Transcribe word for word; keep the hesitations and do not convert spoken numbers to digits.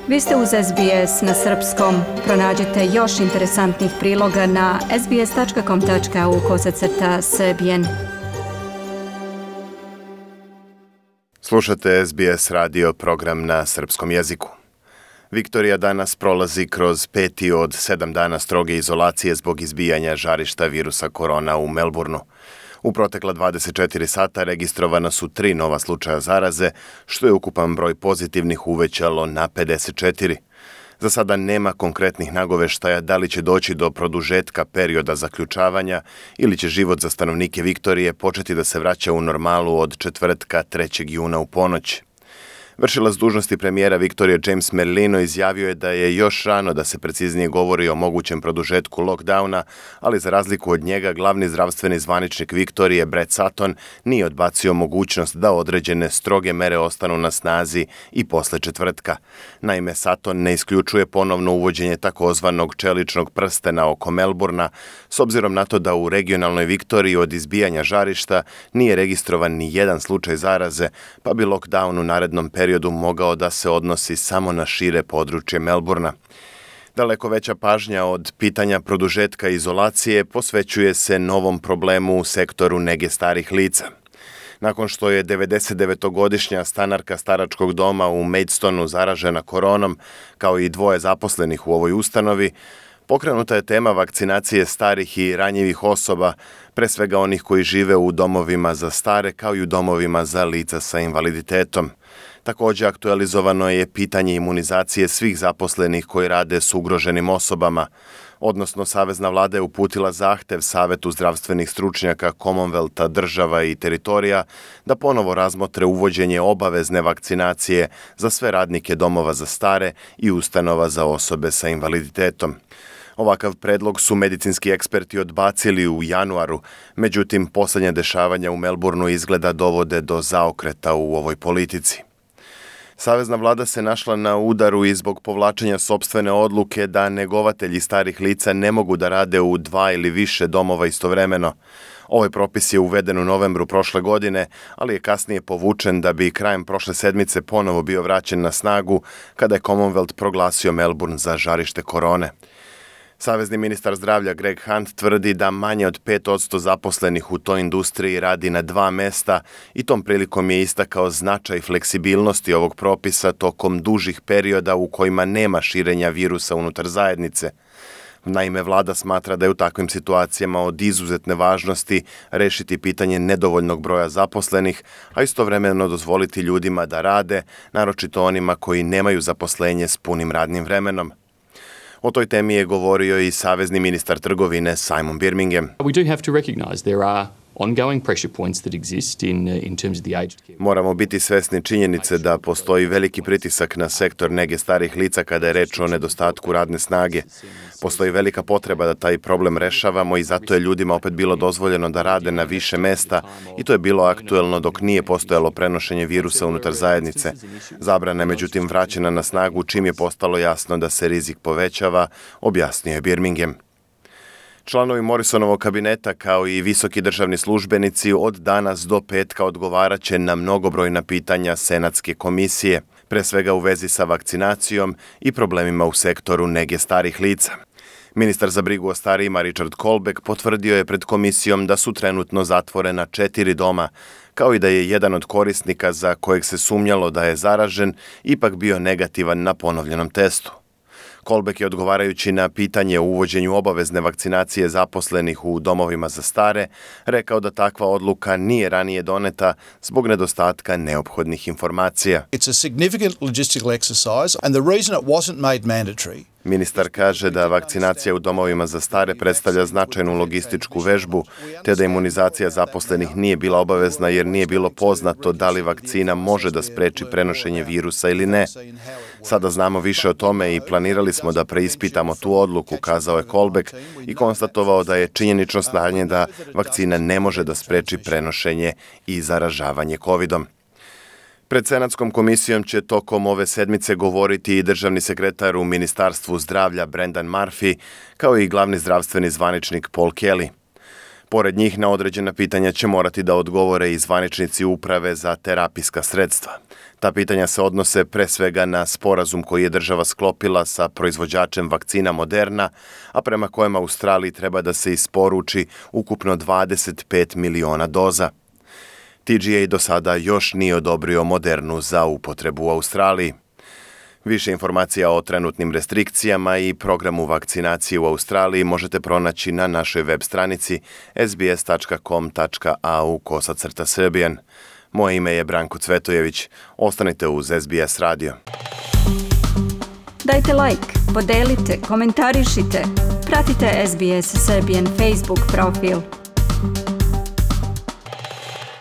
Vi ste uz S B S na srpskom. Pronađite još interesantnih priloga na sbs tačka com tačka au kosacrta srbijen. Slušate S B S radio program na srpskom jeziku. Viktorija danas prolazi kroz peti od sedam dana stroge izolacije zbog izbijanja žarišta virusa korona u Melbourneu. U protekla dvadeset četiri sata registrovana su tri nova slučaja zaraze, što je ukupan broj pozitivnih uvećalo na pedeset četiri. Za sada nema konkretnih nagoveštaja da li će doći do produžetka perioda zaključavanja ili će život za stanovnike Viktorije početi da se vraća u normalu od četvrtka trećeg juna u ponoć. Vršilac dužnosti premijera Viktorije James Merlino izjavio je da je još rano da se preciznije govori o mogućem produžetku lockdowna, ali za razliku od njega glavni zdravstveni zvaničnik Viktorije Brett Sutton nije odbacio mogućnost da određene stroge mere ostanu na snazi i posle četvrtka. Naime, Sutton ne isključuje ponovno uvođenje takozvanog čeličnog prstena oko Melbournea, s obzirom na to da u regionalnoj Viktoriji od izbijanja žarišta nije registrovan ni jedan slučaj zaraze, pa bi lockdown u narednom periodu periodu mogao da se odnosi samo na šire područje Melbournea. Daleko veća pažnja od pitanja produžetka izolacije posvećuje se novom problemu u sektoru nege starih lica. Nakon što je devedesetdevetogodišnja stanarka staračkog doma u Maidstonu zaražena koronom, kao i dvoje zaposlenih u ovoj ustanovi, pokrenuta je tema vakcinacije starih i ranjivih osoba, pre svega onih koji žive u domovima za stare kao i u domovima za lica sa invaliditetom. Također aktualizovano je pitanje imunizacije svih zaposlenih koji rade s ugroženim osobama, odnosno Savezna vlada je uputila zahtev Savetu zdravstvenih stručnjaka Commonwealtha, država i teritorija da ponovo razmotre uvođenje obavezne vakcinacije za sve radnike domova za stare i ustanova za osobe sa invaliditetom. Ovakav predlog su medicinski eksperti odbacili u januaru, međutim posljednja dešavanja u Melbourneu izgleda dovode do zaokreta u ovoj politici. Savezna vlada se našla na udaru i zbog povlačenja sopstvene odluke da negovatelji starih lica ne mogu da rade u dva ili više domova istovremeno. Ovaj propis je uveden u novembru prošle godine, ali je kasnije povučen da bi krajem prošle sedmice ponovo bio vraćen na snagu kada je Commonwealth proglasio Melbourne za žarište korone. Savezni ministar zdravlja Greg Hunt tvrdi da manje od pet posto zaposlenih u toj industriji radi na dva mesta i tom prilikom je istakao značaj fleksibilnosti ovog propisa tokom dužih perioda u kojima nema širenja virusa unutar zajednice. Naime, vlada smatra da je u takvim situacijama od izuzetne važnosti rešiti pitanje nedovoljnog broja zaposlenih, a istovremeno dozvoliti ljudima da rade, naročito onima koji nemaju zaposlenje s punim radnim vremenom. O toj temi je govorio i savezni ministar trgovine Simon Birmingham. We do have to recognize there are ongoing pressure points that exist in in terms of the aged care. Moramo biti svesni činjenice da postoji veliki pritisak na sektor nege starih lica kada je reč o nedostatku radne snage. Postoji velika potreba da taj problem rešavamo i zato je ljudima opet bilo dozvoljeno da rade na više mesta i to je bilo aktuelno dok nije postojalo prenošenje virusa unutar zajednice. Zabrana je međutim vraćena na snagu čim je postalo jasno da se rizik povećava, objasnio je Birmingham. Članovi Morrisonovog kabineta kao i visoki državni službenici od danas do petka odgovaraće na mnogobrojna pitanja Senatske komisije, pre svega u vezi sa vakcinacijom i problemima u sektoru nege starih lica. Ministar za brigu o starijima Richard Colbeck potvrdio je pred komisijom da su trenutno zatvorena četiri doma, kao i da je jedan od korisnika za kojeg se sumnjalo da je zaražen ipak bio negativan na ponovljenom testu. Colbeck je odgovarajući na pitanje o uvođenju obavezne vakcinacije zaposlenih u domovima za stare rekao da takva odluka nije ranije doneta zbog nedostatka neophodnih informacija. It's a significant logistical exercise and the reason it wasn't made mandatory. Ministar kaže da vakcinacija u domovima za stare predstavlja značajnu logističku vežbu, te da imunizacija zaposlenih nije bila obavezna jer nije bilo poznato da li vakcina može da spreči prenošenje virusa ili ne. Sada znamo više o tome i planirali smo da preispitamo tu odluku, kazao je Colbeck i konstatovao da je činjenično stanje da vakcina ne može da spreči prenošenje i zaražavanje kovidom. Pred Senatskom komisijom će tokom ove sedmice govoriti i državni sekretar u Ministarstvu zdravlja Brendan Murphy, kao i glavni zdravstveni zvaničnik Paul Kelly. Pored njih na određena pitanja će morati da odgovore i zvaničnici uprave za terapijska sredstva. Ta pitanja se odnose pre svega na sporazum koji je država sklopila sa proizvođačem vakcina Moderna, a prema kojem Australiji treba da se isporuči ukupno dvadeset pet miliona doza. T G A do sada još nije odobrio Modernu za upotrebu u Australiji. Više informacija o trenutnim restrikcijama i programu vakcinacije u Australiji možete pronaći na našoj web stranici s b s tačka com tačka a u kosacrta srbijan. Moje ime je Branko Cvetojević. Ostanite uz S B S radio. Dajte like, podelite, komentarišite. Pratite S B S Serbian Facebook profil.